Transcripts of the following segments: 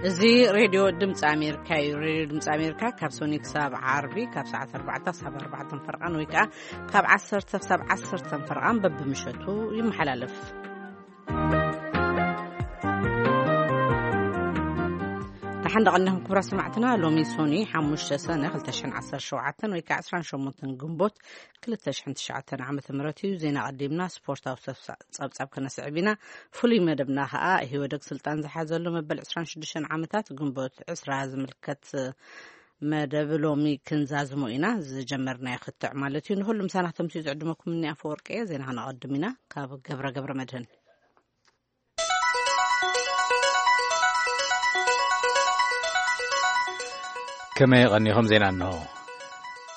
እዚ ሬድዮ ድምፂ ኣሜሪካ እዩ። ሬድዮ ድምፂ ኣሜሪካ ካብ ሶኒ ክሳብ ዓርቢ ካብ ሰዓት ኣርባዕተ ክሳብ ኣርባዕተ ፈርቓን ወይ ከዓ ካብ ዓሰርተ ክሳብ ዓሰርተ ፈርቓን በብምሸቱ ይመሓላለፍ። ደሓን ደቐኒኹም ክቡራት ሰማዕትና። ሎሚ ሶኒ ሓሙሽተ ሰነ ክልተ ሽሕን ዓሰርተ ሸውዓተን ወይ ከዓ ዕስራን ሸሞንተን ግንቦት ክልተ ሽሕን ትሽዓተን ዓመተ ምህረት እዩ። ዜና ቀዲምና ስፖርታዊ ጸብጻብ ከነስዕብ ኢና። ፍሉይ መደብና ከኣ ኢህወደግ ስልጣን ዝሓዘሉ መበል ዕስራን ሽዱሽተን ዓመታት ግንቦት ዕስራ ዝምልከት መደብ ሎሚ ክንዛዝሞ ኢና። ዝጀመርናዮ ክትዕ ማለት እዩ። ንኹሉ ምሳና ተምስዩ ዝዕድመኩም እኒ ኣፈወርቂ እየ። ዜና ከነቐድም ኢና። ካብ ገብረ ገብረ መድህን። ከመይ ቀኒኹም? ዜና እንሆ።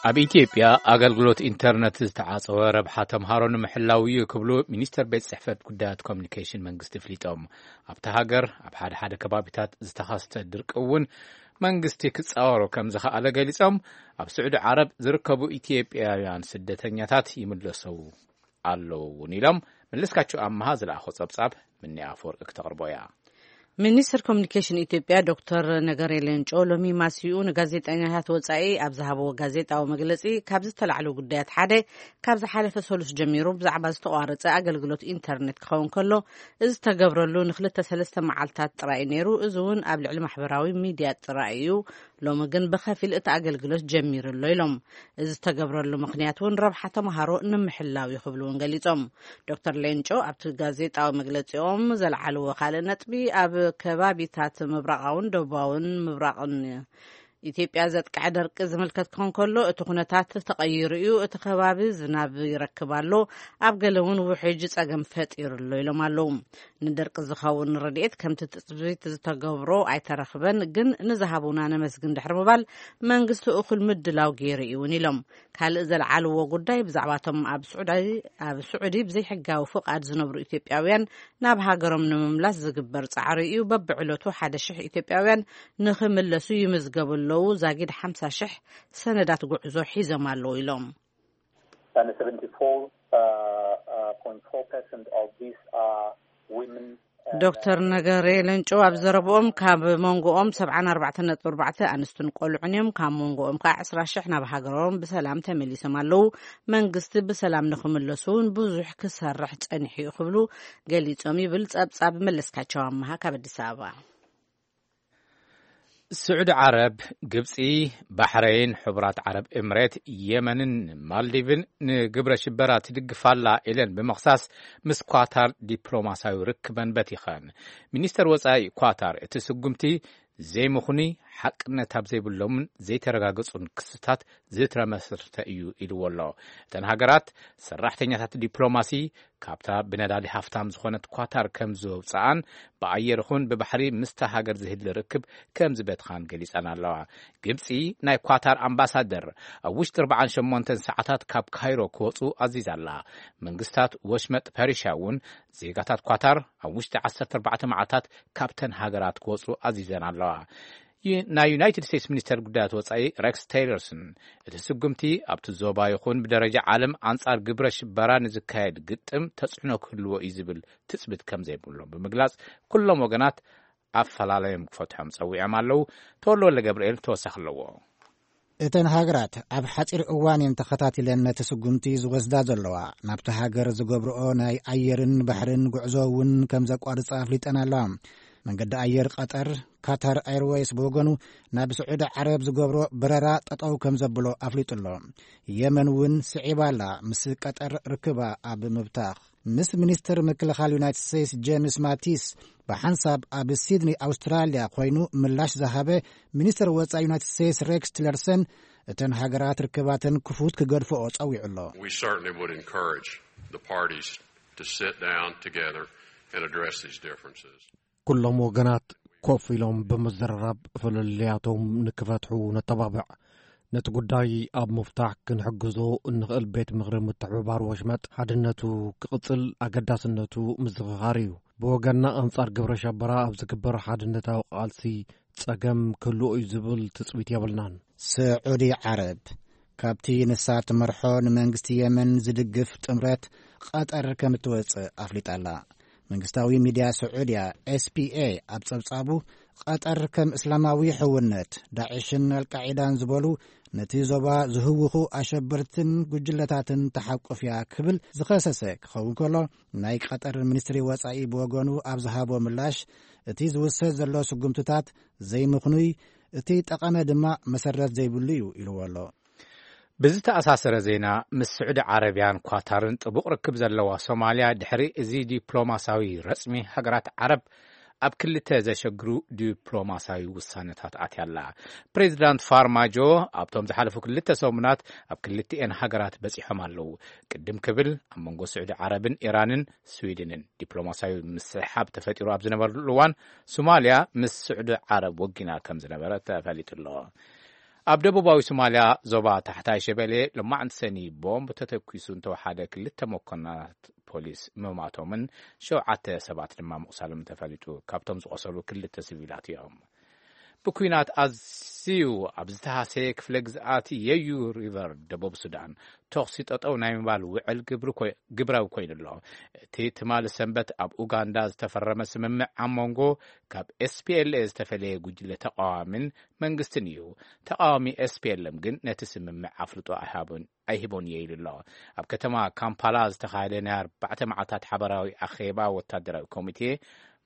ኣብ ኢትዮጵያ ኣገልግሎት ኢንተርነት ዝተዓጸወ ረብሓ ተምሃሮ ንምሕላው እዩ ክብሉ ሚኒስተር ቤት ጽሕፈት ጉዳያት ኮሚኒኬሽን መንግስቲ ኣፍሊጦም። ኣብቲ ሃገር ኣብ ሓደ ሓደ ከባቢታት ዝተኸስተ ድርቂ እውን መንግስቲ ክጻወሮ ከም ዝኸኣለ ገሊጾም። ኣብ ስዑዲ ዓረብ ዝርከቡ ኢትዮጵያውያን ስደተኛታት ይምለሰው ኣለዉ እውን ኢሎም። መለስካቸው ኣመሃ ዝለኣኾ ጸብጻብ ምኒ ኣፈወርቂ ክተቕርቦ እያ። ሚኒስትር ኮሚኒኬሽን ኢትዮጵያ ዶክተር ነገሬ ሌንጮ ሎሚ ማስይኡ ንጋዜጠኛታት ወጻኢ ኣብ ዝሃብዎ ጋዜጣዊ መግለጺ ካብ ዝተላዕሉ ጉዳያት ሓደ ካብ ዝሓለፈ ሰሉስ ጀሚሩ ብዛዕባ ዝተቋረጸ ኣገልግሎት ኢንተርኔት ክኸውን ከሎ፣ እዚ ዝተገብረሉ ንክልተ ሰለስተ መዓልታት ጥራይ እዩ ነይሩ። እዚ እውን ኣብ ልዕሊ ማሕበራዊ ሚድያ ጥራይ እዩ። ሎሚ ግን ብኸፊል እቲ ኣገልግሎት ጀሚሩ ኣሎ ኢሎም። እዚ ዝተገብረሉ ምኽንያት እውን ረብሓ ተምሃሮ ንምሕላው እዩ ክብሉ እውን ገሊጾም። ዶክተር ሌንጮ ኣብቲ ጋዜጣዊ መግለጺኦም ዘልዓልዎ ካልእ ነጥቢ ኣብ ከባቢታት ምብራቓውን ደቡባውን ምብራቕን ኢትዮጵያ ዘጥቅዐ ደርቂ ዝምልከት ክኸውን ከሎ፣ እቲ ኩነታት ተቐይሩ እዩ። እቲ ከባቢ ዝናብ ይረክብ ኣሎ፣ ኣብ ገለ እውን ውሕጅ ጸገም ፈጢሩ ኣሎ ኢሎም ኣለዉ። ንደርቂ ዝኸውን ረድኤት ከምቲ ትጽቢት ዝተገብሮ ኣይተረኽበን፣ ግን ንዝሃቡና ነመስግን ድሕሪ ምባል መንግስቲ እኹል ምድላው ገይሩ እዩ እውን ኢሎም። ካልእ ዘልዓልዎ ጉዳይ ብዛዕባቶም ኣብ ስዑዲ ኣብ ስዑዲ ብዘይሕጋዊ ፍቓድ ዝነብሩ ኢትዮጵያውያን ናብ ሃገሮም ንምምላስ ዝግበር ጻዕሪ እዩ። በብዕለቱ ሓደ ሽሕ ኢትዮጵያውያን ንኽምለሱ ይምዝገቡ ኣለዉ። ዛጊድ ሓምሳ ሽሕ ሰነዳት ጉዕዞ ሒዞም ኣለዉ ኢሎም። And seventy-four point four percent of these are women. ዶክተር ነገሬ ለንጮ ኣብ ዘረብኦም ካብ መንጎኦም ሰብዓን ኣርባዕተን ነጥቢ ኣርባዕተ ኣንስትን ቆልዑን እዮም። ካብ መንጎኦም ከዓ ዕስራ ሽሕ ናብ ሃገሮም ብሰላም ተመሊሶም ኣለዉ። መንግስቲ ብሰላም ንኽምለሱ እውን ብዙሕ ክሰርሕ ጸኒሑ እዩ ክብሉ ገሊጾም ይብል ጸብጻብ መለስካቸው ኣመሃ ካብ ኣዲስ ኣበባ። ስዑዲ ዓረብ፣ ግብጺ፣ ባሕረይን፣ ሕቡራት ዓረብ ኤምሬት፣ የመንን ማልዲቭን ንግብረ ሽበራ ትድግፋላ ኢለን ብምኽሳስ ምስ ኳታር ዲፕሎማሲያዊ ርክበን በቲኸን። ሚኒስተር ወጻኢ ኳታር እቲ ስጉምቲ ዘይምኹኒ ሓቅነት ኣብ ዘይብሎምን ዘይተረጋገጹን ክስታት ዝተመስረተ እዩ ኢልዎ ኣሎ። እተን ሃገራት ሰራሕተኛታት ዲፕሎማሲ ካብታ ብነዳዲ ሃፍታም ዝኾነት ኳታር ከም ዝወብጽኣን ብኣየር ይኹን ብባሕሪ ምስታ ሃገር ዝህሊ ርክብ ከም ዝበትኻን ገሊጸን ኣለዋ። ግብጺ ናይ ኳታር ኣምባሳደር ኣብ ውሽጢ ኣርባዓን ሸሞንተን ሰዓታት ካብ ካይሮ ክወጹ ኣዚዛ ኣላ። መንግስታት ወሽመጥ ፐርሽያ እውን ዜጋታት ኳታር ኣብ ውሽጢ ዓሰርተ ኣርባዕተ መዓልታት ካብተን ሃገራት ክወጹ ኣዚዘን ኣለዋ። ዩ- ናይ ዩናይትድ ስቴትስ ሚኒስተር ጉዳያት ወጻኢ ሬክስ ቴይለርሰን እቲ ስጉምቲ ኣብቲ ዞባ ይኹን ብደረጃ ዓለም ኣንጻር ግብረ ሽበራ ንዝካየድ ግጥም ተጽዕኖ ክህልዎ እዩ ዝብል ትጽቢት ከም ዘይብሎም ብምግላጽ፣ ኩሎም ወገናት ኣፈላለዮም ክፈትሖም ጸዊዖም ኣለዉ። ተወልደ ወልደ ገብርኤል ተወሳኺ ኣለዎ። እተን ሃገራት ኣብ ሓጺር እዋን እየን ተኸታቲለን ነቲ ስጉምቲ ዝወስዳ ዘለዋ። ናብቲ ሃገር ዝገብርኦ ናይ ኣየርን ባሕርን ጉዕዞ እውን ከም ዘቋርጻ ኣፍሊጠን ኣለዋ። መንገዲ ኣየር ቀጠር፣ ካታር ኤርዌይስ ብወገኑ ናብ ስዑዲ ዓረብ ዝገብሮ በረራ ጠጠው ከም ዘብሎ ኣፍሊጡ ኣሎ። የመን እውን ስዒባ ኣላ፣ ምስ ቀጠር ርክባ ኣብ ምብታኽ። ምስ ሚኒስትር ምክልኻል ዩናይትድ ስቴትስ ጄምስ ማቲስ ብሓንሳብ ኣብ ሲድኒ ኣውስትራልያ ኮይኑ ምላሽ ዝሃበ ሚኒስትር ወጻኢ ዩናይትድ ስቴትስ ሬክስ ቲለርሰን፣ እተን ሃገራት ርክባተን ክፉት ክገድፍኦ ጸዊዑ ኣሎ። We certainly would encourage the parties to sit down together and address these differences. ኩሎም ወገናት ኮፍ ኢሎም ብምዝርራብ ፍልልያቶም ንክፈትሑ ነተባብዕ። ነቲ ጉዳይ ኣብ ምፍታሕ ክንሕግዞ እንኽእል ቤት ምኽሪ ምትሕብባር ወሽመጥ ሓድነቱ ክቕጽል ኣገዳስነቱ ምዝኽኻር እዩ። ብወገንና ኣንጻር ግብረ ሸበራ ኣብ ዝግበር ሓድነታዊ ቃልሲ ጸገም ክህልዎ እዩ ዝብል ትጽቢት የብልናን። ስዑዲ ዓረብ ካብቲ ንሳ ትመርሖ ንመንግስቲ የመን ዝድግፍ ጥምረት ቐጠር ከም እትወጽእ ኣፍሊጣ ኣላ። መንግስታዊ ሚድያ ስዑድያ ኤስፒኤ ኣብ ጸብጻቡ ቀጠር ከም እስላማዊ ሕውነት፣ ዳዕሽን ኣልቃዒዳን ዝበሉ ነቲ ዞባ ዝህውኹ ኣሸበርትን ጉጅለታትን ተሓቁፍያ ክብል ዝኸሰሰ ክኸውን ከሎ፣ ናይ ቀጠር ሚኒስትሪ ወጻኢ ብወገኑ ኣብ ዝሃቦ ምላሽ፣ እቲ ዝውሰድ ዘሎ ስጉምትታት ዘይምኽኑይ፣ እቲ ጠቐመ ድማ መሰረት ዘይብሉ እዩ ኢልዎ ኣሎ። ብዝተኣሳሰረ ዜና፣ ምስ ስዑዲ ዓረብያን ኳታርን ጥቡቕ ርክብ ዘለዋ ሶማልያ፣ ድሕሪ እዚ ዲፕሎማሳዊ ረጽሚ፣ ሃገራት ዓረብ ኣብ ክልተ ዘሸግሩ ዲፕሎማሳዊ ውሳነታት ኣትያ ኣላ። ፕሬዚዳንት ፋርማጆ ኣብቶም ዝሓለፉ ክልተ ሰሙናት ኣብ ክልቲኤን ሃገራት በጺሖም ኣለዉ። ቅድም ክብል፣ ኣብ መንጎ ስዑዲ ዓረብን ኢራንን ስዊድንን ዲፕሎማሳዊ ምስሕሓብ ተፈጢሩ ኣብ ዝነበረሉ እዋን፣ ሶማልያ ምስ ስዑዲ ዓረብ ወጊና ከም ዝነበረ ተፈሊጡ ኣሎ። ኣብ ደቡባዊ ሶማልያ፣ ዞባ ታሕታይ ሸበሌ፣ ሎማዕንቲ ሰኒ ቦምብ ተተኲሱ እንተወሓደ ክልተ መኮንናት ፖሊስ ምማቶምን ሸውዓተ ሰባት ድማ ምቑሳሎም ተፈሊጡ። ካብቶም ዝቖሰሉ ክልተ ሲቪላት እዮም። ብኲናት ኣዝዩ ኣብ ዝተሃሰየ ክፍለ ግዝኣት የዩ ሪቨር፣ ደቡብ ሱዳን፣ ተኹሲ ጠጠው ናይ ምባል ውዕል ግብሪ ኮይ-፣ ግብራዊ ኮይኑ ኣሎ። እቲ ትማሊ ሰንበት ኣብ ኡጋንዳ ዝተፈረመ ስምምዕ ኣብ መንጎ ካብ ኤስ ፒ ኤል ኤ ዝተፈለየ ጉጅለ ተቃዋሚን መንግስትን እዩ። ተቃዋሚ ኤስ ፒ ኤል ኤም ግን ነቲ ስምምዕ ኣፍልጦ ኣይሃቦን፣ ኣይህቦን እየ ኢሉ ኣሎ። ኣብ ከተማ ካምፓላ ዝተኻየደ ናይ ኣርባዕተ መዓልታት ሓበራዊ ኣኼባ ወታደራዊ ኮሚቴ፣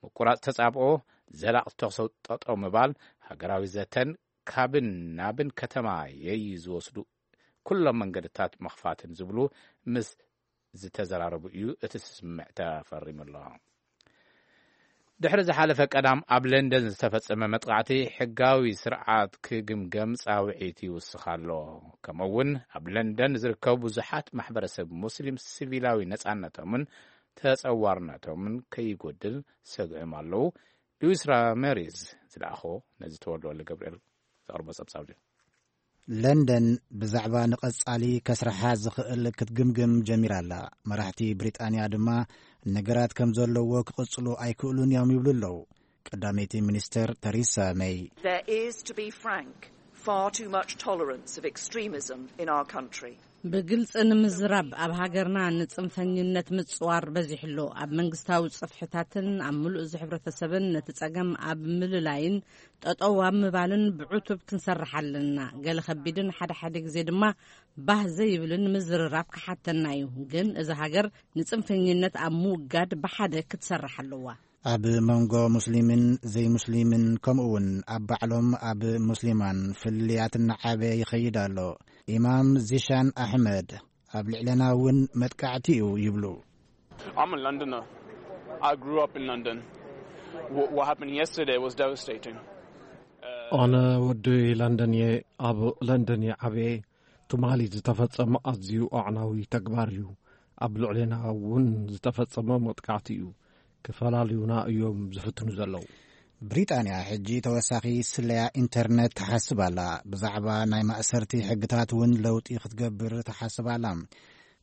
ምቁራጽ ተጻብኦ፣ ዘላቒ ተኹሲ ጠጠው ምባል፣ ሃገራዊ ዘተን ካብን ናብን ከተማ የዩ ዝወስዱ ኩሎም መንገድታት ምኽፋትን ዝብሉ ምስ ዝተዘራረቡ እዩ እቲ ስምምዕ ተፈሪሙ ኣሎ። ድሕሪ ዝሓለፈ ቀዳም ኣብ ለንደን ዝተፈጸመ መጥቃዕቲ፣ ሕጋዊ ስርዓት ክግምገም ጻውዒት ይውስኽ ኣሎ። ከምኡ እውን ኣብ ለንደን ዝርከቡ ብዙሓት ማሕበረሰብ ሙስሊም ሲቪላዊ ነጻነቶምን ተጸዋርነቶምን ከይጎድል ሰግዕም ኣለዉ። ሉዊስ ራሜሪዝ ዝለኣኾ ነዚ ተወልደ ወልደ ገብርኤል ዘቕርቦ ጸብጻብ እዩ። ለንደን ብዛዕባ ንቐጻሊ ከስርሓ ዝኽእል ክትግምግም ጀሚራ ኣላ። መራሕቲ ብሪጣንያ ድማ ነገራት ከም ዘለዎ ክቕጽሉ ኣይክእሉን እዮም ይብሉ ኣለዉ። ቀዳመይቲ ሚኒስተር ተሪሳ መይ። There is, to be frank, far too much tolerance of extremism in our country. ብግልጺ ንምዝራብ፣ ኣብ ሃገርና ንጽንፈኝነት ምጽዋር በዚሑ ኣሎ። ኣብ መንግስታዊ ጽፍሕታትን ኣብ ምሉእ እዚ ሕብረተሰብን ነቲ ጸገም ኣብ ምልላይን ጠጠው ኣብ ምባልን ብዕቱብ ክንሰርሕ ኣለና። ገለ ከቢድን ሓደ ሓደ ግዜ ድማ ባህ ዘይብልን ምዝርራብ ክሓተና እዩ። ግን እዚ ሃገር ንጽንፈኝነት ኣብ ምውጋድ ብሓደ ክትሰርሕ ኣለዋ። ኣብ መንጎ ሙስሊምን ዘይሙስሊምን፣ ከምኡውን ኣብ ባዕሎም ኣብ ሙስሊማን ፍልልያት እናዓበየ ይኸይድ ኣሎ። ኢማም ዚሻን ኣሕመድ ኣብ ልዕለና እውን መጥቃዕቲ እዩ ይብሉ። I'm a Londoner. I grew up in London. What, what happened yesterday was devastating. ኣነ ወዲ ለንደን እየ። ኣብ ለንደን እየ ዓብየ። ትማሊ ዝተፈጸመ ኣዝዩ ኣዕናዊ ተግባር እዩ። ኣብ ልዕሌና እውን ዝተፈጸመ መጥቃዕቲ እዩ። ክፈላልዩና እዮም ዝፍትኑ ዘለዉ። ብሪጣንያ ሕጂ ተወሳኺ ስለያ ኢንተርነት ትሓስብ ኣላ። ብዛዕባ ናይ ማእሰርቲ ሕግታት እውን ለውጢ ክትገብር ትሓስብ ኣላ።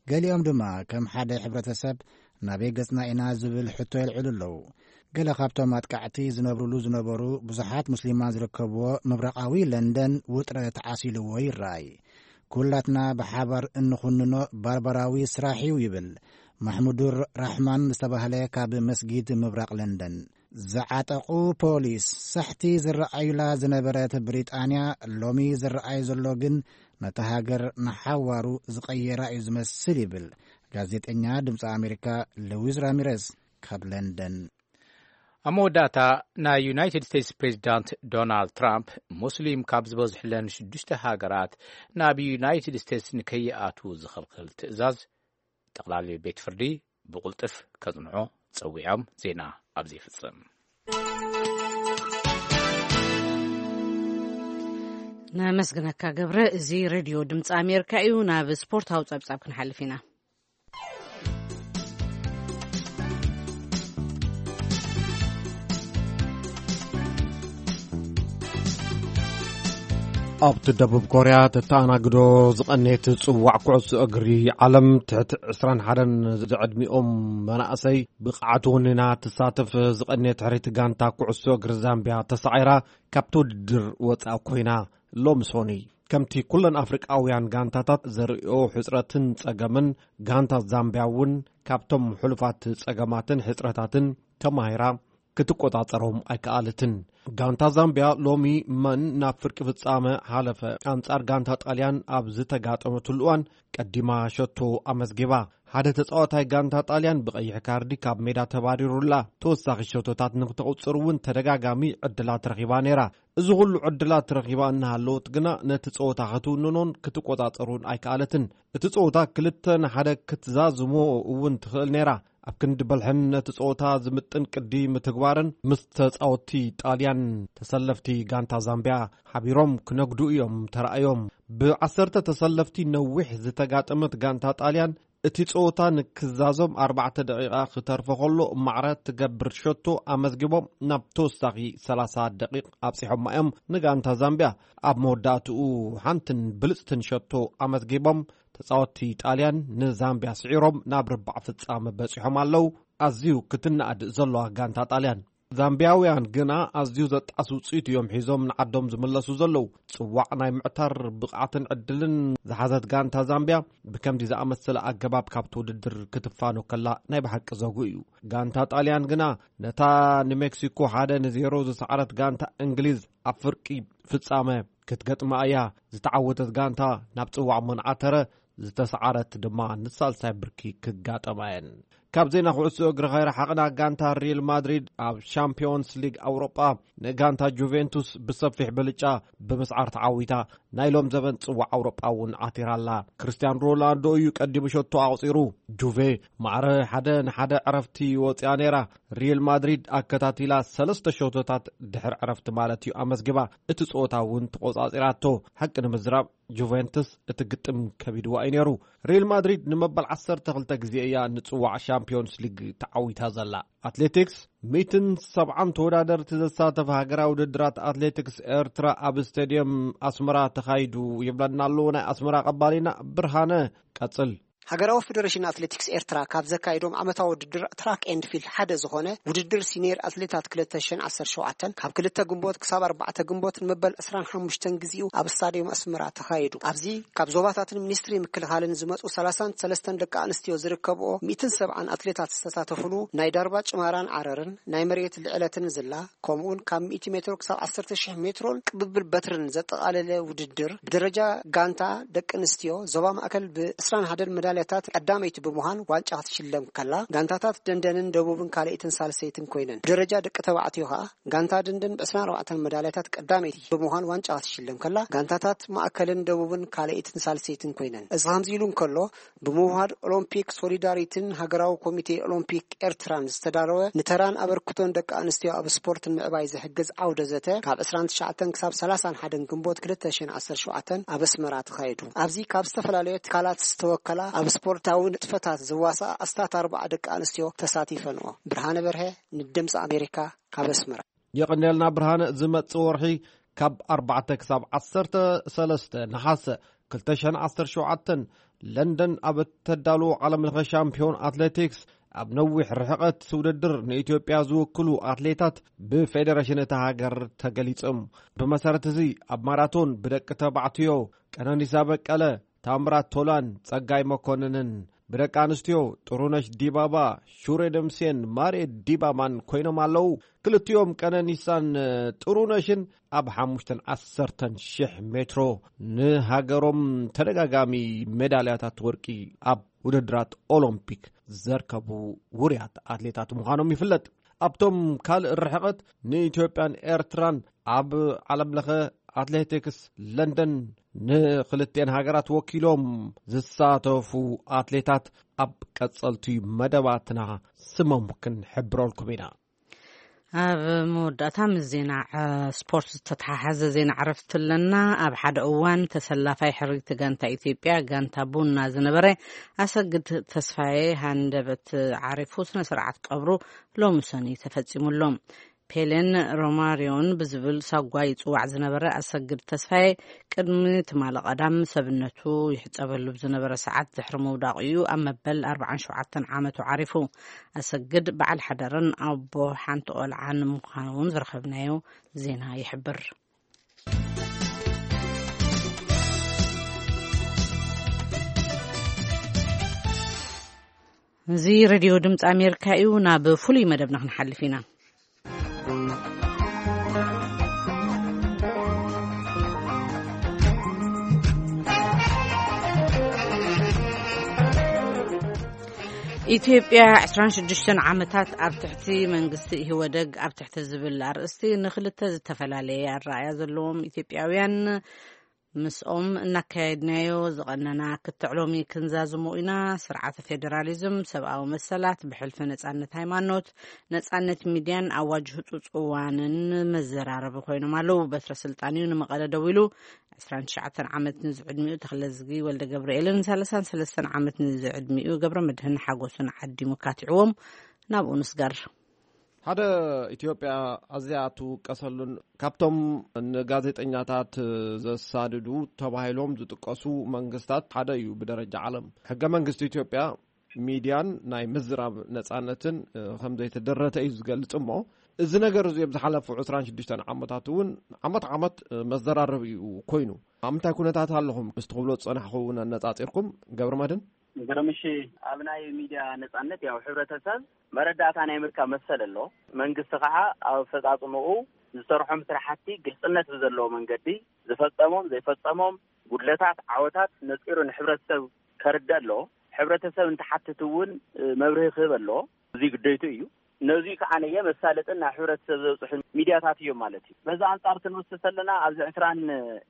ገሊኦም ድማ ከም ሓደ ሕብረተሰብ ናበይ ገጽና ኢና ዝብል ሕቶ የልዕሉ ኣለዉ። ገለ ካብቶም ኣጥቃዕቲ ዝነብሩሉ ዝነበሩ ብዙሓት ሙስሊማን ዝርከብዎ ምብራቓዊ ለንደን ውጥረት ዓሲልዎ ይረኣይ። ኩላትና ብሓባር እንኹንኖ ባርባራዊ ስራሕ እዩ ይብል ማሕሙዱር ራሕማን ዝተባህለ ካብ መስጊድ ምብራቕ ለንደን። ዝዓጠቑ ፖሊስ ሳሕቲ ዝረኣዩላ ዝነበረት ብሪጣንያ፣ ሎሚ ዝረኣይ ዘሎ ግን ነታ ሃገር ንሓዋሩ ዝቐየራ እዩ ዝመስል ይብል ጋዜጠኛ ድምፂ ኣሜሪካ ሉዊስ ራሚረስ ካብ ለንደን። ኣብ መወዳእታ፣ ናይ ዩናይትድ ስቴትስ ፕሬዚዳንት ዶናልድ ትራምፕ፣ ሙስሊም ካብ ዝበዝሕለን ሽዱሽተ ሃገራት ናብ ዩናይትድ ስቴትስ ንከይኣትዉ ዝኽልክል ትእዛዝ ጠቕላሊ ቤት ፍርዲ ብቕልጥፍ ከጽንዖ ጸዊዖም። ዜና ኣብዚ ይፍጽም። ነመስግነካ ገብረ። እዚ ሬድዮ ድምፂ ኣሜሪካ እዩ። ናብ ስፖርታዊ ጸብጻብ ክንሓልፍ ኢና። ኣብቲ ደቡብ ኮርያ ተተኣናግዶ ዝቐነየት ጽዋዕ ኩዕሶ እግሪ ዓለም፣ ትሕቲ ዕስራን ሓደን ዝዕድሚኦም መናእሰይ ብቕዓት ወኒና ትሳተፍ ዝቐነየት ሕርይቲ ጋንታ ኩዕሶ እግሪ ዛምቢያ ተሳዒራ ካብቲ ውድድር ወጻእ ኮይና። ሎሚ ሶኒ፣ ከምቲ ኩለን ኣፍሪቃውያን ጋንታታት ዘርእዮ ሕጽረትን ጸገምን፣ ጋንታ ዛምቢያ እውን ካብቶም ሕሉፋት ጸገማትን ሕጽረታትን ተማሂራ ክትቆጻጸሮም ኣይከኣለትን። ጋንታ ዛምቢያ ሎሚ መን ናብ ፍርቂ ፍጻመ ሓለፈ? ኣንጻር ጋንታ ጣልያን ኣብ ዝተጋጠመትሉ እዋን ቀዲማ ሸቶ ኣመዝጊባ። ሓደ ተጻዋታይ ጋንታ ጣልያን ብቐይሕ ካርዲ ካብ ሜዳ ተባሪሩላ። ተወሳኺ ሸቶታት ንክተቑጽር እውን ተደጋጋሚ ዕድላት ረኺባ ነይራ። እዚ ኩሉ ዕድላት ረኺባ እናሃለወት ግና ነቲ ጸወታ ክትውንኖን ክትቆጻጸሩን ኣይከኣለትን። እቲ ጸወታ ክልተ ንሓደ ክትዛዝሞ እውን ትኽእል ነይራ። ኣብ ክንዲ በልሕን ነቲ ጸወታ ዝምጥን ቅዲ ምትግባርን ምስ ተጻወትቲ ጣልያን ተሰለፍቲ ጋንታ ዛምቢያ ሓቢሮም ክነግዱ እዮም ተራእዮም። ብዓሰርተ ተሰለፍቲ ነዊሕ ዝተጋጠመት ጋንታ ጣልያን እቲ ጸወታ ንክዛዞም ኣርባዕተ ደቂቓ ክተርፎ ከሎ ማዕረ ትገብር ሸቶ ኣመዝጊቦም ናብ ተወሳኺ ሰላሳ ደቂቕ ኣብጺሖማ እዮም። ንጋንታ ዛምቢያ ኣብ መወዳእትኡ ሓንትን ብልጽትን ሸቶ ኣመዝጊቦም ተጻወትቲ ጣልያን ንዛምቢያ ስዒሮም ናብ ርባዕ ፍጻመ በጺሖም ኣለዉ። ኣዝዩ ክትነኣድ ዘለዋ ጋንታ ጣልያን። ዛምቢያውያን ግና ኣዝዩ ዘጣስ ውጽኢት እዮም ሒዞም ንዓዶም ዝምለሱ ዘለዉ። ጽዋዕ ናይ ምዕታር ብቕዓትን ዕድልን ዝሓዘት ጋንታ ዛምቢያ ብከምዚ ዝኣመሰለ ኣገባብ ካብቲ ውድድር ክትፋኖ ከላ ናይ ብሓቂ ዘጉ እዩ። ጋንታ ጣልያን ግና ነታ ንሜክሲኮ ሓደ ንዜሮ ዝሰዓረት ጋንታ እንግሊዝ ኣብ ፍርቂ ፍጻመ ክትገጥማ እያ። ዝተዓወተት ጋንታ ናብ ጽዋዕ መንዓተረ፣ ዝተሰዓረት ድማ ንሳልሳይ ብርኪ ክጋጠማ እየን። ካብ ዜና ኩዕሶ እግሪ ከይረሓቕና፣ ጋንታ ሪል ማድሪድ ኣብ ሻምፒዮንስ ሊግ ኣውሮጳ ንጋንታ ጁቬንቱስ ብሰፊሕ ብልጫ ብምስዓር ተዓዊታ ናይ ሎም ዘበን ጽዋዕ ኣውሮጳ እውን ዓቲራ ኣላ። ክርስቲያን ሮናልዶ እዩ ቀዲሙ ሸቶ ኣቑጺሩ። ጁቬ ማዕረ ሓደ ንሓደ ዕረፍቲ ወጽያ ነይራ። ሪል ማድሪድ ኣከታቲላ ሰለስተ ሸቶታት ድሕሪ ዕረፍቲ ማለት እዩ ኣመዝጊባ። እቲ ጸወታ እውን ተቖጻጺራቶ። ሓቂ ንምዝራብ ጁቬንትስ እቲ ግጥም ከቢድዋ እዩ ነይሩ። ሪል ማድሪድ ንመበል ዓሰርተ ክልተ ግዜ እያ ንጽዋዕ ሻምፒዮንስ ሊግ ተዓዊታ ዘላ። ኣትሌቲክስ፣ ሚእትን ሰብዓን ተወዳደርቲ ዘሳተፈ ሃገራዊ ውድድራት ኣትሌቲክስ ኤርትራ ኣብ ስቴድየም ኣስመራ ተኻይዱ ይብለና ኣሎ ናይ ኣስመራ ቀባሊና ብርሃነ። ቀጽል። ሃገራዊ ፌደሬሽን ኣትሌቲክስ ኤርትራ ካብ ዘካይዶም ዓመታዊ ውድድር ትራክ ኤንድ ፊልድ ሓደ ዝኾነ ውድድር ሲኒየር ኣትሌታት ክልተ ሽሕን ዓሰርተ ሸውዓተን ካብ ክልተ ግንቦት ክሳብ ኣርባዕተ ግንቦት ንመበል ዕስራን ሓሙሽተን ግዜኡ ኣብ ስታድዮም ኣስመራ ተኻይዱ። ኣብዚ ካብ ዞባታትን ሚኒስትሪ ምክልኻልን ዝመጹ ሰላሳን ሰለስተን ደቂ ኣንስትዮ ዝርከብኦ ሚእትን ሰብዓን ኣትሌታት ዝተሳተፉሉ ናይ ዳርባ ጭማራን ዓረርን ናይ መሬት ልዕለትን ዝላ ከምኡውን ካብ ሚእቲ ሜትሮ ክሳብ ዓሰርተ ሽሕ ሜትሮን ቅብብል በትርን ዘጠቓለለ ውድድር ብደረጃ ጋንታ ደቂ ኣንስትዮ ዞባ ማእከል ብ ዕስራን ሓደን መዳልያታት ቀዳመይቲ ብምዃን ዋንጫ ክትሽለም ከላ፣ ጋንታታት ደንደንን ደቡብን ካልኣይትን ሳልሰይትን ኮይነን። ብደረጃ ደቂ ተባዕትዮ ከኣ ጋንታ ደንደን ብ ዕስራን ኣርባዕተን መዳልያታት ቀዳመይቲ ብምዃን ዋንጫ ክትሽለም ከላ፣ ጋንታታት ማእከልን ደቡብን ካልኣይትን ሳልሰይትን ኮይነን። እዚ ከምዚ ኢሉ እንከሎ፣ ብምውሃድ ኦሎምፒክ ሶሊዳሪቲን ሃገራዊ ኮሚቴ ኦሎምፒክ ኤርትራን ዝተዳለወ ንተራን ኣበርክቶን ደቂ ኣንስትዮ ኣብ ስፖርት ንምዕባይ ዝሕግዝ ዓውደ ዘተ ካብ ዕስራን ትሽዓተን ክሳብ ሰላሳን ሓደን ግንቦት ክልተ ሽሕን ዓሰርተ ሸውዓተን ኣብ ኣስመራ ተኻይዱ። ኣብዚ ካብ ዝተፈላለዩ ትካላት ዝተወከላ ኣብ ስፖርታዊ ንጥፈታት ዝዋስኣ ኣስታት ኣርባዓ ደቂ ኣንስትዮ ተሳቲፈንኦ። ብርሃነ በርሀ ንድምፂ ኣሜሪካ ካብ ኣስመራ። የቐንየልና ብርሃነ። ዝመጽእ ወርሒ ካብ ኣርባዕተ ክሳብ ዓሰርተ ሰለስተ ነሓሰ ክልተ ሽሕን ዓሰርተ ሸውዓተን ለንደን ኣብ እተዳልዎ ዓለም ለኸ ሻምፒዮን ኣትሌቲክስ ኣብ ነዊሕ ርሕቐት ውድድር ንኢትዮጵያ ዝውክሉ ኣትሌታት ብፌደሬሽን እታ ሃገር ተገሊጾም። ብመሰረት እዚ ኣብ ማራቶን ብደቂ ተባዕትዮ ቀነኒሳ በቀለ፣ ታምራት ቶላን ጸጋይ መኮንንን፣ ብደቂ ኣንስትዮ ጥሩነሽ ዲባባ፣ ሹሬ ደምሴን ማሬ ዲባባን ኮይኖም ኣለዉ። ክልቲኦም ቀነኒሳን ጥሩነሽን ኣብ ሓሙሽተን ዓሰርተን ሽሕ ሜትሮ ንሃገሮም ተደጋጋሚ ሜዳልያታት ወርቂ ኣብ ውድድራት ኦሎምፒክ ዘርከቡ ውሩያት ኣትሌታት ምዃኖም ይፍለጥ። ኣብቶም ካልእ ርሕቐት ንኢትዮጵያን ኤርትራን ኣብ ዓለም ለኸ ኣትሌቲክስ ለንደን ንክልቲኤን ሃገራት ወኪሎም ዝሳተፉ ኣትሌታት ኣብ ቀጸልቲ መደባትና ስሞም ክንሕብረልኩም ኢና። ኣብ መወዳእታ ምስ ዜና፣ እ፣ ስፖርት ዝተተሓሓዘ ዜና ዕረፍቲ ኣለና። ኣብ ሓደ እዋን ተሰላፋይ ሕርይቲ ጋንታ ኢትዮጵያ፣ ጋንታ ቡና ዝነበረ ኣሰግድ ተስፋዬ ሃንደበት ዓሪፉ ስነ ስርዓት ቀብሩ ሎሚ ሰኑይ ተፈጺሙሎም። ፔሌን ሮማሪዮን ብዝብል ሳጓ ይጽዋዕ ዝነበረ ኣሰግድ ተስፋዬ ቅድሚ ትማሊ ቀዳም ሰብነቱ ይሕጸበሉ ብዝነበረ ሰዓት ድሕሪ ምውዳቑ እዩ ኣብ መበል ኣርባዓን ሸውዓተን ዓመቱ ዓሪፉ። ኣሰግድ በዓል ሓዳርን ኣቦ ሓንቲ ቆልዓን ምዃኑ እውን ዝረኸብናዮ ዜና ይሕብር። እዚ ሬድዮ ድምፂ ኣሜሪካ እዩ። ናብ ፍሉይ መደብና ክንሓልፍ ኢና። ኢትዮጵያ ዕስራን ሽዱሽተን ዓመታት ኣብ ትሕቲ መንግስቲ ኢህወደግ ኣብ ትሕቲ ዝብል ኣርእስቲ ንክልተ ዝተፈላለየ ኣረኣእያ ዘለዎም ኢትዮጵያውያን ምስኦም እናካየድናዮ ዝቐነና ክትዕ ሎሚ ክንዛዝሞ ኢና። ስርዓተ ፌዴራሊዝም፣ ሰብኣዊ መሰላት፣ ብሕልፊ ነጻነት ሃይማኖት፣ ነጻነት ሚድያን ኣዋጅ ህጹጽ እዋንን መዘራረቢ ኮይኖም ኣለዉ። በትረ ስልጣን እዩ ንመቐለ ደው ኢሉ። ዕስራን ትሽዓተን ዓመት ንዝዕድሚኡ ተኽለዝጊ ወልደ ገብርኤልን ሰላሳን ሰለስተን ዓመት ንዝዕድሚኡ ገብረ መድህን ሓጎስን ዓዲሙ ካቲዕዎም ናብኡ ንስገር። ሓደ ኢትዮጵያ ኣዝያ እትውቀሰሉን ካብቶም ንጋዜጠኛታት ዘሳድዱ ተባሂሎም ዝጥቀሱ መንግስታት ሓደ እዩ ብደረጃ ዓለም። ሕገ መንግስቲ ኢትዮጵያ ሚድያን ናይ ምዝራብ ነጻነትን፣ እ፣ ከም ዘይተደረተ እዩ ዝገልጽ እሞ፣ እዚ ነገር እዚ ኣብ ዝሓለፉ ዕስራን ሽዱሽተን ዓመታት እውን ዓመት ዓመት፣ እ፣ መዘራረቢ እዩ ኮይኑ። ኣብ ምንታይ ኩነታት ኣለኹም? ምስ ትኽብሎ ዝጸናሕኹ እውን ኣነጻጺርኩም፣ ገብረ መድህን? ገብረ፣ ምሽ ኣብ ናይ ሚድያ ነጻነት ያው ሕብረተሰብ መረዳእታ ናይ ምርካብ መሰል ኣሎ። መንግስቲ ከዓ ኣብ ኣፈጻጽምኡ ዝሰርሖም ስራሕቲ ግልጽነት ብዘለዎ መንገዲ ዝፈጸሞም ዘይፈጸሞም ጉድለታት፣ ዓወታት ነጺሩ ንሕብረተሰብ ከርደ ኣሎ። ሕብረተሰብ እንተሓትት እውን፣ እ፣ መብርሂ ክህብ ኣሎ። እዚ ግደይቱ እዩ። ነዚ ከዓ ነየ መሳለጥን ናብ ሕብረተሰብ ዘብፅሑ ሚድያታት እዮም ማለት እዩ። በዚ ኣንጻር ክንወስድ ከለና ኣብዚ ዕስራን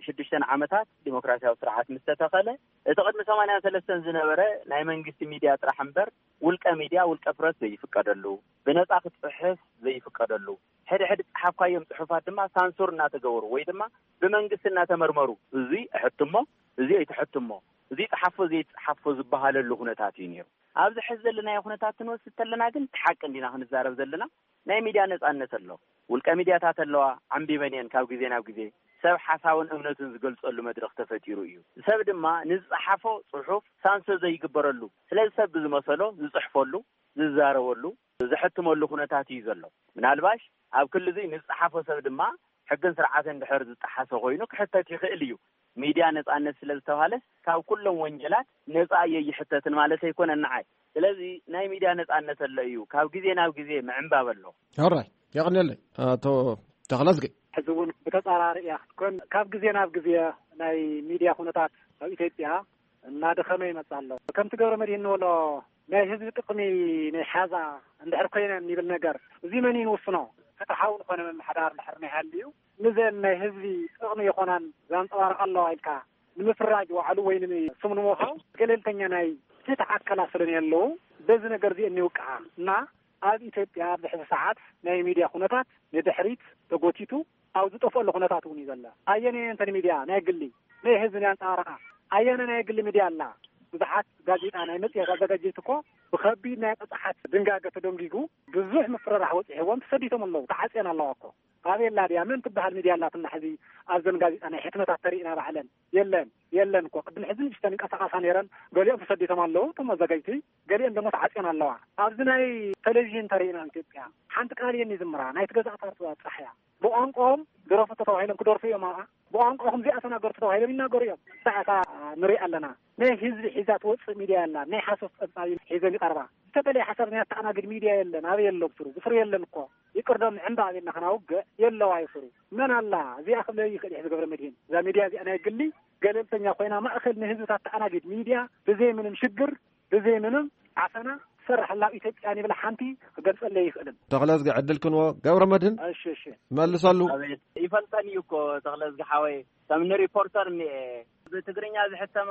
ሽዱሽተን ዓመታት ዲሞክራሲያዊ ስርዓት ምስ ተተኸለ እቲ ቅድሚ ሰማንያን ሰለስተን ዝነበረ ናይ መንግስቲ ሚድያ ጥራሕ እምበር ውልቀ ሚድያ፣ ውልቀ ፕረስ ዘይፍቀደሉ፣ ብነጻ ክትጽሕፍ ዘይፍቀደሉ፣ ሕድሕድ ጸሓፍካዮም ጽሑፋት ድማ ሳንሱር እናተገበሩ ወይ ድማ ብመንግስቲ እናተመርመሩ፣ እዚ እሕትሞ፣ እዚ ኣይትሕትሞ፣ እዚ ጸሓፎ ዘይትጸሓፎ ዝበሃለሉ ኩነታት እዩ ነይሩ። ኣብዚ ሕዚ ዘለናዮ ኩነታት ክንወስድ ተለና ግን እቲ ሓቂ እንዲና ክንዛረብ ዘለና። ናይ ሚድያ ነጻነት ኣሎ። ውልቀ ሚድያታት ኣለዋ፣ ዓንቢበን እየን ካብ ግዜ ናብ ግዜ። ሰብ ሓሳቡን እምነቱን ዝገልጸሉ መድረኽ ተፈጢሩ እዩ። ሰብ ድማ ንዝጸሓፎ ጽሑፍ ሳንሱር ዘይግበረሉ፣ ስለዚ ሰብ ብዝመሰሎ ዝጽሕፈሉ፣ ዝዛረበሉ፣ ዘሕትመሉ ኩነታት እዩ ዘሎ። ምናልባሽ ኣብ ክሊ እዚ ንዝጸሓፎ ሰብ ድማ ሕግን ስርዓትን ድሕር ዝጠሓሰ ኮይኑ ክሕተት ይኽእል እዩ። ሚድያ ነጻነት ስለ ዝተባሃለ ካብ ኩሎም ወንጀላት ነጻ እየ ይሕተትን ማለት ኣይኮነን ንዓይ። ስለዚ ናይ ሚድያ ነጻነት ኣሎ እዩ። ካብ ግዜ ናብ ግዜ ምዕንባብ ኣሎ። ሕራይ፣ የቐንየለይ ኣቶ ተኽለዝጊ። ሕዚ እውን ብተጻራሪ እያ ክትኮን። ካብ ግዜ ናብ ግዜ ናይ ሚድያ ኩነታት ኣብ ኢትዮጵያ እናደኸመ ይመጽእ ኣሎ። ከምቲ ገብረ መድህን ንበሎ ናይ ህዝቢ ጥቕሚ ናይ ሓዛ እንድሕር ኮይነን ይብል ነገር፣ እዚ መን እዩ ንውስኖ? ፍትሓዊ ዝኾነ ምምሕዳር እንድሕር ናይ ሃልዩ፣ ንዘን ናይ ህዝቢ ጥቕሚ ይኾናን ዘንጸባርቕ ኣለዋ ኢልካ ንምፍራጅ ዋዕሉ ወይ ስም ንምውሃው ገለልተኛ ናይ ፍትሒ ኣካላት ስለ ዘለዉ፣ በዚ ነገር እዚ እኒውቅዓ እና ኣብ ኢትዮጵያ ኣብዚ ሕዚ ሰዓት ናይ ሚድያ ኩነታት ንድሕሪት ተጎቲቱ ኣብ ዝጠፍአሉ ኩነታት እውን እዩ ዘሎ። ኣየነየን እተን ሚድያ ናይ ግሊ ናይ ህዝቢ ናይ ኣንጻባረቓ? ኣየነ ናይ ግሊ ሚድያ ኣላ? ብዙሓት ጋዜጣ ናይ መጽሔት ኣዘጋጀይቲ እኮ ብኸቢድ ናይ ቅጽሓት ድንጋገ ተደንጊጉ ብዙሕ ምፍርራሕ በጺሕዎም ተሰዲቶም ኣለዉ። ተዓጽየን ኣለዋ እኮ። ኣበይ ኣላ ድያ? መን ትበሃል ሚድያ ኣላትና ሕዚ ኣብዘን ጋዜጣ ናይ ሕትመታት ተሪእና ባዕለን? የለን፣ የለን እኮ። ቅድሚ ሕዚ ንእሽተን ይንቀሳቐሳ ነይረን፣ ገሊኦም ተሰዲቶም ኣለዉ እቶም ኣዘጋጅቲ፣ ገሊኦም ደሞ ተዓጽየን ኣለዋ። ኣብዚ ናይ ቴሌቪዥን ተሪእና ኣብ ኢትዮጵያ ሓንቲ ቃል እየን ይዝምራ፣ ናይ ትገዛእ ፓርቲ ጥራሕ እያ። ብቋንቋኦም ድረፉ ተተባሂሎም ክደርፉ እዮም ኣብኣ። ብቋንቋኹም እዚኣ ተናገሩ ተተባሂሎም ይናገሩ እዮም። ሳዕታ ንርኢ ኣለና። ናይ ህዝቢ ሒዛ ትወፅእ ሚድያ የላን። ናይ ሓሶት ፀብፃብ ሒዘን ይቐርባ። ዝተፈለየ ሓሳብ ናይ ኣተኣናግድ ሚድያ የለን። ኣበይ የሎ ብስሩ? ብስሩ የለን እኮ። ይቅርዶ ምዕንባ ኣበልና ከናውግዕ የለዋ ይስሩ። መን ኣላ? እዚኣ ክብለ ይኽእል እዩ ገብረ መድህን። እዛ ሚድያ እዚኣ ናይ ግሊ ገለልተኛ ኮይና ማእኸል ንህዝብታት ተኣናግድ ሚድያ ብዘይ ምንም ሽግር፣ ብዘይ ምንም ዓፈና ትሰርሕ ኣላ ኣብ ኢትዮጵያ ንብል ሓንቲ ክገልጸለይ ይኽእልን። ተኽለዝጊ ዕድል ክንዎ ገብረ መድህን። እሺ፣ እሺ። መልሰሉ። ኣቤት፣ ይፈልጠን እዩ እኮ ተኽለዝጊ ሓወይ። ከም ንሪፖርተር እኒኤ፣ ብትግርኛ ዝሕተማ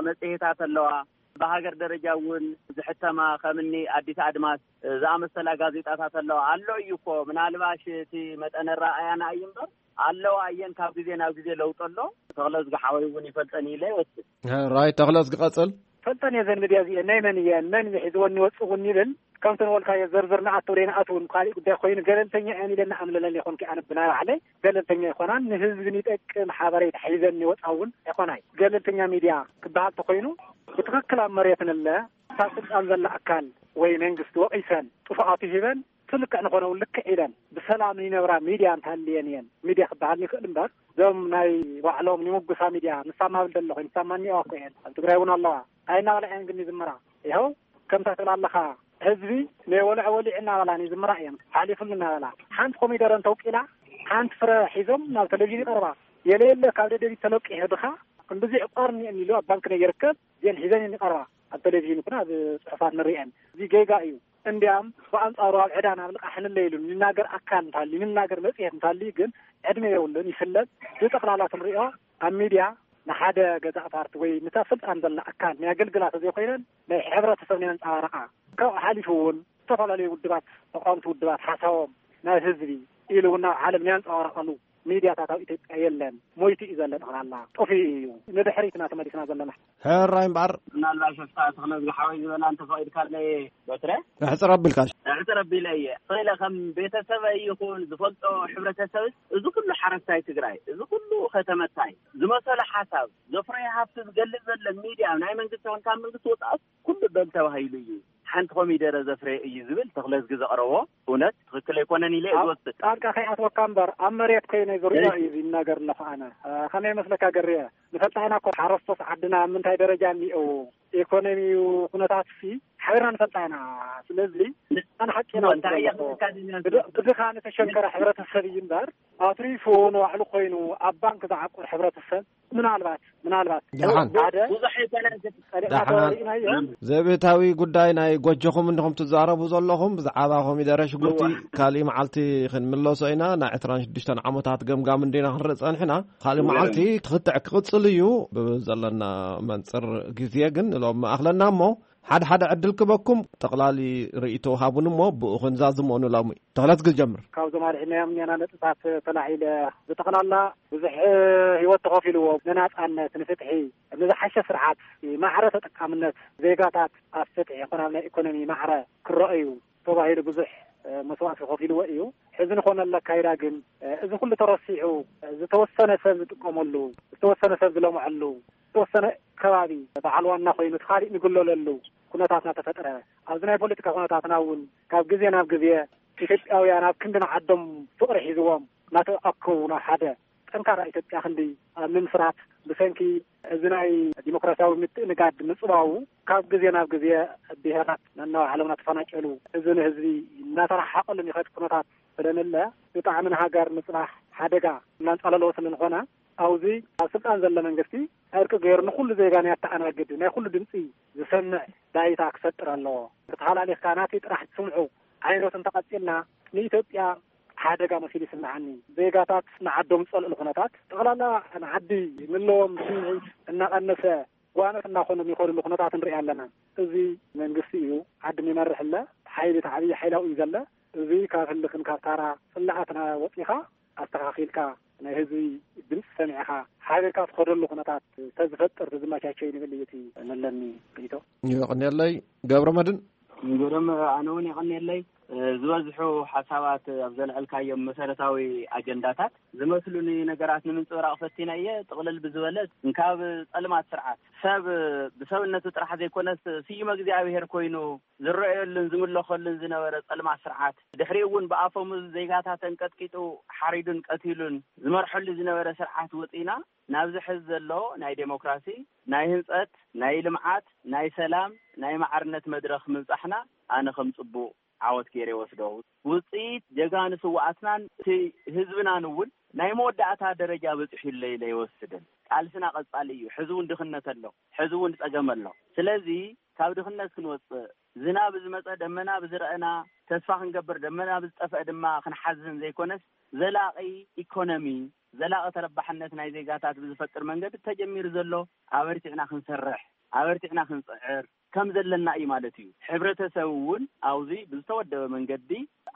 መጽሔታት ኣለዋ። ብሃገር ደረጃ እውን ዝሕተማ ከምኒ ኣዲስ ኣድማስ ዝኣመሰላ ጋዜጣታት ኣለዋ። ኣሎ እዩ እኮ፣ ምናልባሽ እቲ መጠነ ረኣያና እዩ እምበር ኣለዋ እየን። ካብ ግዜ ናብ ግዜ ለውጢ ኣሎ። ተኽለዝጊ ሓወይ እውን ይፈልጠን ኢለ ይወስድ። ራይት፣ ተኽለዝጊ ቀጽል። ፈልጠን እየ ዘን ሚድያ እዚአን ናይ መን እየን፣ መን እዩ ሒዝወን ይወፅውን ይብል። ከምቲ ንበልካዮ ዝርዝር ንኣቱ ዘይንኣቱ እውን ካሊእ ጉዳይ ኮይኑ ገለልተኛ እየን ኢለ ንኣምለለን ይኾንኩ ኣነ ብናይ ባዕለይ ገለልተኛ ኣይኮናን። ንህዝቢ ንጠቅም ሓበሬታ ሒዘን ይወፃ እውን ኣይኮናይ። ገለልተኛ ሚድያ ክበሃል ተኮይኑ ብትኽክል ኣብ መሬት ንለ እታ ስልጣን ዘላ ኣካል ወይ መንግስቲ ወቒሰን ጥፉኣቱ ሂበን እቲ ልክዕ ንኾነ እውን ልክዕ ኢለን ብሰላም ይነብራ ሚድያ እንተሃልየን እየን ሚድያ ክበሃል ይኽእል እምበር እዞም ናይ ባዕሎም ይምጉሳ ሚድያ ንሳማ ብል ዘለኹ ንሳማ እኒኦ እኮ እየን ኣብ ትግራይ እውን ኣለዋ። እንታይ እናበላ እየን ግን ይዝምራ? ይኸው ከምታ ትብል ኣለኻ ህዝቢ ናይ ወልዐ ወሊዕ እናበላ ይዝምራ እየን ሓሊፉሉ እናበላ ሓንቲ ኮሚደረ እንተውቂላ ሓንቲ ፍረ ሒዞም ናብ ቴሌቪዥን ይቐርባ። የለ የለ ካብ ደደቢት ተለቂሑ ድኻ እምብዚ ዕቋር እኒአን ኢሉ ኣብ ባንክ ናይ ይርከብ እዚአን ሒዘን እየን ይቐርባ። ኣብ ቴሌቪዥን ይኹን ኣብ ጽሑፋት ንርእየን። እዚ ጌጋ እዩ። እንዲያም ብኣንጻሩ ኣብ ዕዳን ኣብ ልቓሕ ንለይሉን ይናገር ኣካል እንታሊ፣ ይናገር መጽሔት እንታሊ ግን ዕድመ የብሉን፣ ይፍለጥ። ብጠቕላላ ክንሪኦ ኣብ ሚድያ ንሓደ ገዛእ ፓርቲ ወይ ንታ ስልጣን ዘላ ኣካል ናይ ኣገልግላ ተዘይኮይነን ናይ ሕብረተሰብ ናይ ኣንጻባረቓ። ካብኡ ሓሊፉ እውን ዝተፈላለዩ ውድባት፣ ተቃወምቲ ውድባት ሓሳቦም ናብ ህዝቢ ኢሉ እውን ናብ ዓለም ናይ ኣንጸባረቐሉ ሚድያታት ኣብ ኢትዮጵያ የለን። ሞይቱ እዩ ዘሎ፣ ጠቕላላ ጠፊኡ እዩ። ንድሕሪት ኢና ተመሊስና ዘለና። ሕራይ እምበኣር። ምናልባት ሽፍታ ተኽለ ዝሓወይ ዝበላ እንተፈቒድካለይ በትረ ኣሕፅር ኣቢልካ። ኣሕፅር ኣቢለ እየ። ስለ ከም ቤተሰበይ ይኹን ዝፈልጦ ሕብረተሰብስ፣ እዚ ኩሉ ሓረስታይ ትግራይ፣ እዚ ኩሉ ከተመታይ ዝመሰሎ ሓሳብ ዘፍረዮ ሃፍቲ ዝገልጽ ዘሎ ሚድያ ናይ መንግስቲ ይኹን ካብ መንግስቲ ወፃእስ ኩሉ በል ተባሂሉ እዩ። ሓንቲ ኮሚደረ ዘፍረየ እዩ ዝብል ተኽለዝጊ ዘቕረቦ እውነት ትኽክል ኣይኮነን ኢለ እየ ኣብ ዝወስድ። ጣልቃ ከይኣትወካ እምበር ኣብ መሬት ኮይነ ዝርእዮ እዩ ዝናገር ኣለኹ ኣነ። እ፣ ከመይ ይመስለካ ገርየ? ንፈልጣ ኢና እኮ ሓረስቶስ ዓድና ኣብ ምንታይ ደረጃ እኒአው? ኢኮኖሚዩ ኩነታት ሲ ሓቢርና ንፈልጣ ኢና። ስለዚ ኣነ ሓቂ ኢና እንታይ እየ ዝብለካ። ክብለካ ደልየ? ብድ-፣ ብድኻ ንተሸንከረ ሕብረተሰብ እዩ እምበር ኣትሪፉ ንባዕሉ ኮይኑ ኣብ ባንክ ዝዓቁር ሕብረተሰብ ምናልባት፣ ምናልባት ደሓን። ሓደ ብዙሕ ኣይኮነን። ጸሊእና ደሓን። ተወሪእናዮ። ዘቤታዊ ጉዳይ ናይ ጎጆኹም እንዲኹም ትዛረቡ ዘለኹም ብዛዕባ ኮሚደረ ሽጉርቲ እዋ። ካሊእ መዓልቲ ክንምለሶ ኢና። ናይ ዕስራን ሽዱሽተን ዓመታት ገምጋም እንዲና ክንርኢ ጸንሕና። ካሊእ እዋ። መዓልቲ ክትዕ ክቕጽል እዩ። ብዘለና መንጽር ግዜ ግን ሎም መኣኽለና እሞ ሓደ ሓደ ዕድል ክበኩም ጠቕላሊ ርእይቶ ሃቡን እሞ ብኡ ክንዛዝሞ ንሎሚ። ተኽለት ክጀምር። ካብዞም ኣልዒልናዮም እኒአና ነጥብታት ተላዒለ ብጠቕላላ ብዙሕ ህይወት ተኸፊልዎ ንናጻነት፣ ንፍትሒ፣ ንዝሓሸ ስርዓት፣ ማዕረ ተጠቃምነት ዜጋታት ኣብ ፍትሒ ይኹን ኣብ ናይ ኢኮኖሚ ማዕረ ክረኣዩ ተባሂሉ ብዙሕ መስዋእቲ ከፊልዎ እዩ። ሕዚ ንኾነሉ ኣካይዳ ግን እዚ ኩሉ ተረሲዑ ዝተወሰነ ሰብ ዝጥቀመሉ፣ ዝተወሰነ ሰብ ዝለምዐሉ፣ ዝተወሰነ ከባቢ በዓል ዋና ኮይኑ እቲ ካሊእ ንግለለሉ ኩነታት እናተፈጥረ ኣብዚ ናይ ፖለቲካ ኩነታትና እውን ካብ ግዜ ናብ ግዜ ኢትዮጵያውያን ኣብ ክንዲ ንዓዶም ፍቕሪ ሒዝዎም እናተኣከቡ ናብ ሓደ ጠንካራ ኢትዮጵያ ክንዲ ኣብ ምምስራት ብሰንኪ እዚ ናይ ዲሞክራሲያዊ ምትእንጋድ ምጽባቡ ካብ ግዜ ናብ ግዜ ብሄራት ነናብ ዓለምና ተፈናጨሉ፣ ህዝቢ ንህዝቢ እናተረሓቐሉ ይኸድ ኩነታት ስለንለ ብጣዕሚ ንሃገር ምጽናሕ ሓደጋ እናንጻለለዎ ስለንኾነ ኣብዚ ኣብ ስልጣን ዘሎ መንግስቲ ዕርቂ ገይሩ ንኹሉ ዜጋ ናይ ኣተኣናግድ ናይ ኩሉ ድምፂ ዝሰምዕ ባይታ ክፈጥር ኣለዎ። ተተሃላሊኽካ ናተይ ጥራሕ ትስምዑ ዓይነት እንተቐፂልና ንኢትዮጵያ ሓደጋ መሲሉ ይስምዓኒ። ዜጋታት ንዓዶም ዝፀልእሉ ኩነታት ጠቕላላ ንዓዲ ዘለዎም ስምዒት እናቐነሰ ጓኖት እናኾኑ ይኸድሉ ኩነታት ንርኢ ኣለና። እዚ መንግስቲ እዩ ዓዲ ይመርሕ ኣለ። ሓይሊ እቲ ዓብዪ ሓይላዊ እዩ ዘለ። እዚ ካብ ህልኽን ካብ ታራ ፅላኣትና ወፂኻ ኣስተኻኺልካ ናይ ህዝቢ ድምፂ ሰሚዕኻ ሓቢርካ ትኸደሉ ኩነታት ተዝፈጥር ተዝመቻቸ ንብል እዩ እቲ ነለኒ ርእይቶ። ይቕንየለይ ገብረ መድን። ግርም ኣነ እውን ይቕንየለይ። ዝበዝሑ ሓሳባት ኣብ ዘልዐልካዮም መሰረታዊ ኣጀንዳታት ዝመስሉኒ ነገራት ንምንፅብራቕ ፈቲነ እየ። ጥቕልል ብዝበለ እንካብ ጸልማት ስርዓት ሰብ ብሰብነቱ ጥራሕ ዘይኮነስ ስዩመ እግዚኣብሔር ኮይኑ ዝረኣየሉን ዝምለኸሉን ዝነበረ ጸልማት ስርዓት ድሕሪኡ እውን ብኣፈሙዝ ዜጋታት ኣንቀጥቂጡ ሓሪዱን ቀቲሉን ዝመርሐሉ ዝነበረ ስርዓት ወፂና ናብዚ ሕዚ ዘሎ ናይ ዴሞክራሲ ናይ ህንፀት ናይ ልምዓት ናይ ሰላም ናይ ማዕርነት መድረኽ ምብፃሕና ኣነ ከም ፅቡቕ ዓወት ገይረ ይወስዶ። ውፅኢት ጀጋኑ ስውኣትናን እቲ ህዝብናን እውን ናይ መወዳእታ ደረጃ በፂሑ ኢለ ኢለ ይወስድን። ቃልስና ቀፃሊ እዩ። ሕዚ እውን ድኽነት ኣሎ፣ ሕዚ እውን ፀገም ኣሎ። ስለዚ ካብ ድኽነት ክንወፅእ ዝናብ ዝመፀ ደመና ብዝረአና ተስፋ ክንገብር ደመና ብዝጠፍአ ድማ ክንሓዝን ዘይኮነስ ዘላቒ ኢኮኖሚ ዘላቒ ተረባሕነት ናይ ዜጋታት ብዝፈጥር መንገዲ ተጀሚሩ ዘሎ ኣበርቲዕና ክንሰርሕ ኣበርቲዕና ክንፅዕር ከም ዘለና እዩ ማለት እዩ። ሕብረተሰብ እውን ኣብዚ ብዝተወደበ መንገዲ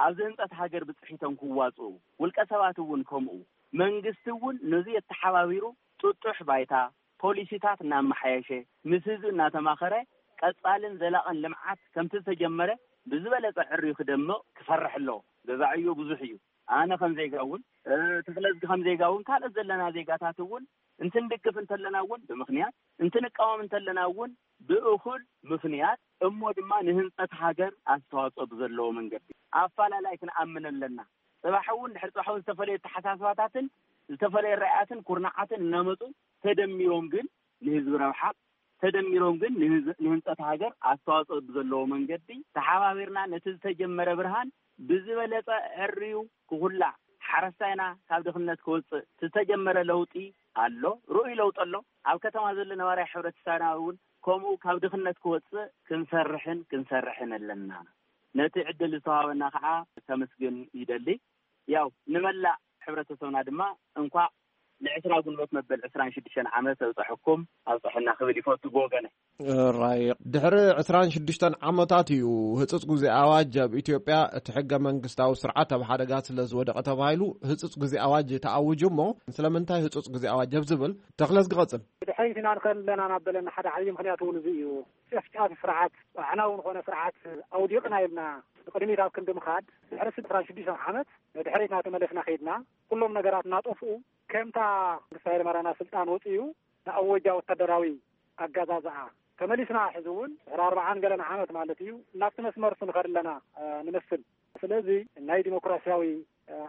ኣብዚ ህንፀት ሃገር ብፅሒቶም ክዋፅኡ ውልቀ ሰባት እውን ከምኡ መንግስቲ እውን ነዚ የተሓባቢሩ ጥጡሕ ባይታ ፖሊሲታት እናመሓየሸ ምስ ህዝቢ እናተማኸረ ቀፃልን ዘላቕን ልምዓት ከምቲ ዝተጀመረ ብዝበለፀ ዕርዩ ክደምቕ ክሰርሕ ኣለዎ። ገዛዕዮ ብዙሕ እዩ። ኣነ ከም ዜጋ እውን ተኽለዝጊ ከም ዜጋ እውን ካልኦት ዘለና ዜጋታት እውን እንትንድግፍ እንተለና እውን ብምኽንያት እንትንቃወም እንተለና እውን ብእኹል ምኽንያት እሞ ድማ ንህንፀት ሃገር ኣስተዋፅኦ ብዘለዎ መንገዲ ኣፋላላይ ክንኣምን ኣለና። ፅባሕ እውን ድሕሪ ፅባሕ እውን ዝተፈላለዩ ኣተሓሳስባታትን ዝተፈላለዩ ራእያትን ኩርናዓትን እናመፁ ተደሚሮም ግን ንህዝቢ ረብሓ ተደሚሮም ግን ንህንፀት ሃገር ኣስተዋፅኦ ብዘለዎ መንገዲ ተሓባቢርና ነቲ ዝተጀመረ ብርሃን ብዝበለፀ ዕርዩ ክኹላዕ ሓረስታይና ካብ ድኽነት ክወፅእ ዝተጀመረ ለውጢ ኣሎ። ርኡይ ለውጢ ኣሎ። ኣብ ከተማ ዘሎ ነባራይ ሕብረተሰብና እውን ከምኡ ካብ ድኽነት ክወጽእ ክንሰርሕን ክንሰርሕን ኣለና። ነቲ ዕድል ዝተዋሃበና ከዓ ከመስግን ይደሊ። ያው ንመላእ ሕብረተሰብና ድማ እንኳዕ ንዕስራ ጉንበት መበል ዕስራን ሽዱሽተን ዓመት ኣብፀሐኩም ኣብፀሐና ክብል ይፈቱ ብወገነ። ራይ ድሕሪ ዕስራን ሽዱሽተን ዓመታት እዩ ህጹጽ ግዜ ኣዋጅ ኣብ ኢትዮጵያ እቲ ሕገ መንግስታዊ ስርዓት ኣብ ሓደጋ ስለ ዝወደቐ ተባሂሉ ህጹጽ ግዜ ኣዋጅ ተኣውጁ። እሞ ስለምንታይ ህጹጽ ግዜ ኣዋጅ ኣብ ዝብል ተኽለስ ክቐጽል። ድሕሪት ኢና ንኸል ኣለና ናብ በለና ሓደ ዓብዪ ምኽንያት እውን እዚ እዩ። ጨፍጫፊ ስርዓት ኣዕናዊ ዝኾነ ስርዓት ኣውዲቕና ኢልና ንቕድሚት ኣብ ክንዲ ምኻድ ድሕሪ ዕስራን ሽዱሽተን ዓመት ንድሕሪት እናተመለስና ከይድና ኩሎም ነገራት እናጠፍኡ ከምታ መንግስቲ ሃይለማርያም ናብ ስልጣን ወፂኡ ንኣወጃ ወታደራዊ ኣጋዛዝኣ ተመሊስና። ሕዚ እውን ድሕሪ ኣርባዓን ገለን ዓመት ማለት እዩ እናብቲ መስመር ንኸድ ኣለና ንመስል። ስለዚ ናይ ዲሞክራሲያዊ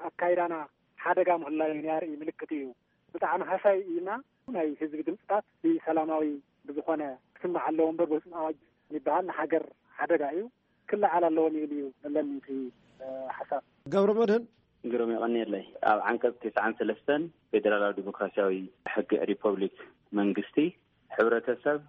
ኣካይዳና ሓደጋ ምህላዩ ናይ ኣርኢ ምልክት እዩ። ብጣዕሚ ሃሳይ እዩና ናይ ህዝቢ ድምፅታት ብሰላማዊ ብዝኾነ ክስማዕ ኣለዎ እምበር በስም ኣዋጅ ይበሃል ንሃገር ሓደጋ እዩ። ክለዓል ኣለዎም ይብል እዩ ዘለኒ እቲ ሓሳብ። ገብረ መድህን ግርም የቐንየለይ። ኣብ ዓንቀፅ ተስዓን ሰለስተን ፌደራላዊ ዲሞክራሲያዊ ሕጊ ሪፐብሊክ መንግስቲ ሕብረተሰብ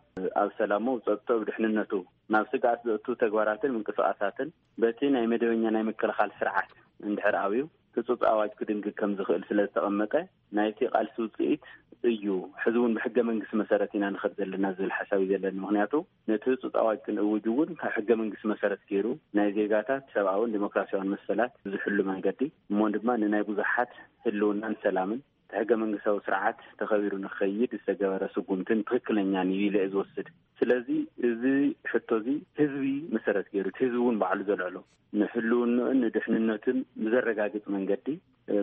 ኣብ ሰላሙ፣ ጸጥቶ፣ ድሕንነቱ ናብ ስግኣት ዘእቱ ተግባራትን ምንቅስቃሳትን በቲ ናይ መደበኛ ናይ ምክልኻል ስርዓት እንድሕር ኣብዩ ህጹጽ ኣዋጅ ክድንግግ ከም ዝኽእል ስለ ዝተቐመጠ ናይቲ ቃልሲ ውጽኢት እዩ። ሕዚ እውን ብሕገ መንግስቲ መሰረት ኢና ንኸድ ዘለና ዝብል ሓሳብ እዩ ዘለኒ። ምክንያቱ ነቲ ህጹጽ ኣዋጅ ክንእውጅ እውን ካብ ሕገ መንግስቲ መሰረት ገይሩ ናይ ዜጋታት ሰብኣውን ዲሞክራሲያውን መሰላት ዝሕሉ መንገዲ እሞ ድማ ንናይ ብዙሓት ህልውናን ሰላምን እቲ ሕገ መንግስታዊ ስርዓት ተኸቢሩ ንክኸይድ ዝተገበረ ስጉምትን ትኽክለኛን እዩ ኢለ እየ ዝወስድ። ስለዚ እዚ ሕቶ እዚ ህዝቢ መሰረት ገይሩ እቲ ህዝቢ እውን ባዕሉ ዘልዕሎ ንህልውንኡን ንድሕንነቱን ብዘረጋግፅ መንገዲ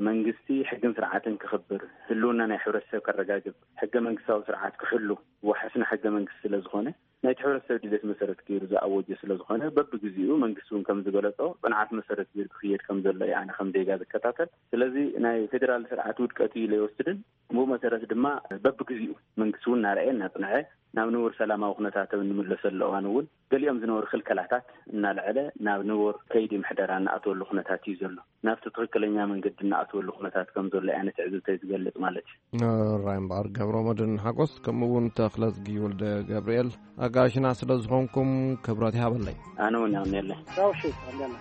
መንግስቲ ሕግን ስርዓትን ክኽብር ህልውና ናይ ሕብረተሰብ ከረጋግፅ ሕገ መንግስታዊ ስርዓት ክሕሉ ዋሕስና ሕገ መንግስቲ ስለ ዝኾነ ናይቲ ሕብረተሰብ ድሌት መሰረት ገይሩ ዝኣወጀ ስለ ዝኾነ በብግዚኡ መንግስቲ እውን ከም ዝገለፆ ፅንዓት መሰረት ገይሩ ክኽየድ ከም ዘሎ እየ ኣነ ከም ዜጋ ዝከታተል። ስለዚ ናይ ፌዴራል ስርዓት ውድቀት እዩ ኢለ ይወስድን ብኡ መሰረት ድማ በብግዚኡ መንግስቲ እውን እናረኣየ እናፅንዐ ናብ ንቡር ሰላማዊ ኩነታት ኣብ እንምለሰሉ እዋን እውን ገሊኦም ዝነበሩ ክልከላታት እናልዐለ ናብ ንቡር ከይዲ ምሕደራ እናኣተወሉ ኩነታት እዩ ዘሎ። ናብቲ ትኽክለኛ መንገዲ እናኣተወሉ ኩነታት ከም ዘሎ እያ ነቲ ዕዝብተይ ዝገልፅ ማለት እዩ። ራይ እምበኣር ገብረ መድህን ሓጎስ ከምኡ እውን ተኽለዝጊ ወልደ ገብርኤል ኣጋሽና ስለ ዝኾንኩም ክብረት ይሃበለይ። ኣነ እውን የቕንየለይ። ራውሺ ኣንደና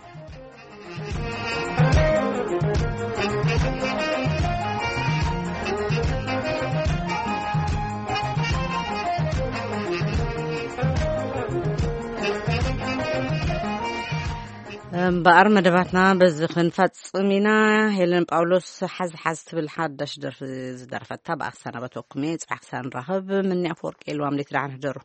እምበኣር መደባትና በዚ ክንፈጽም ኢና። ሄለን ጳውሎስ ሓዝ ሓዝ ትብል ሓዳሽ ደርፊ ዝደረፈታ ብኣኽሳና በተወኩም እየ። ጽባሕ ክሳብ ንራኸብ። ምኒ ኣፈወርቂ የልዋም ሌት ደሓን ሕደሩ።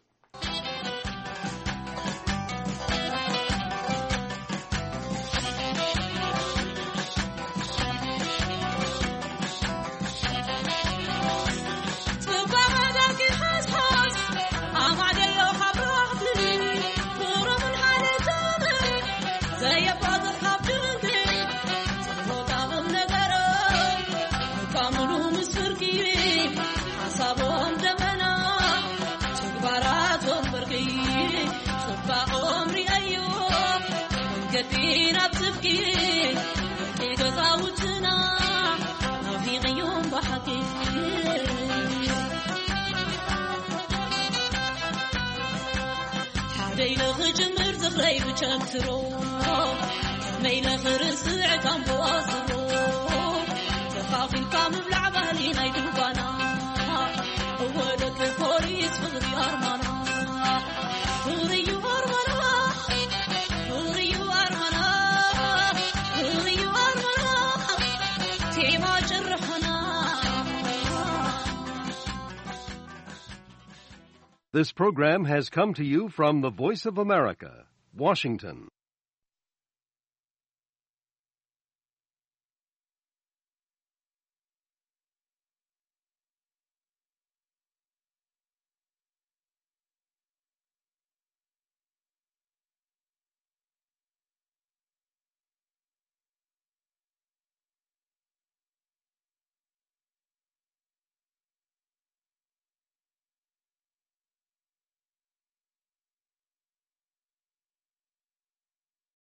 This program has come to you from the Voice of America, Washington.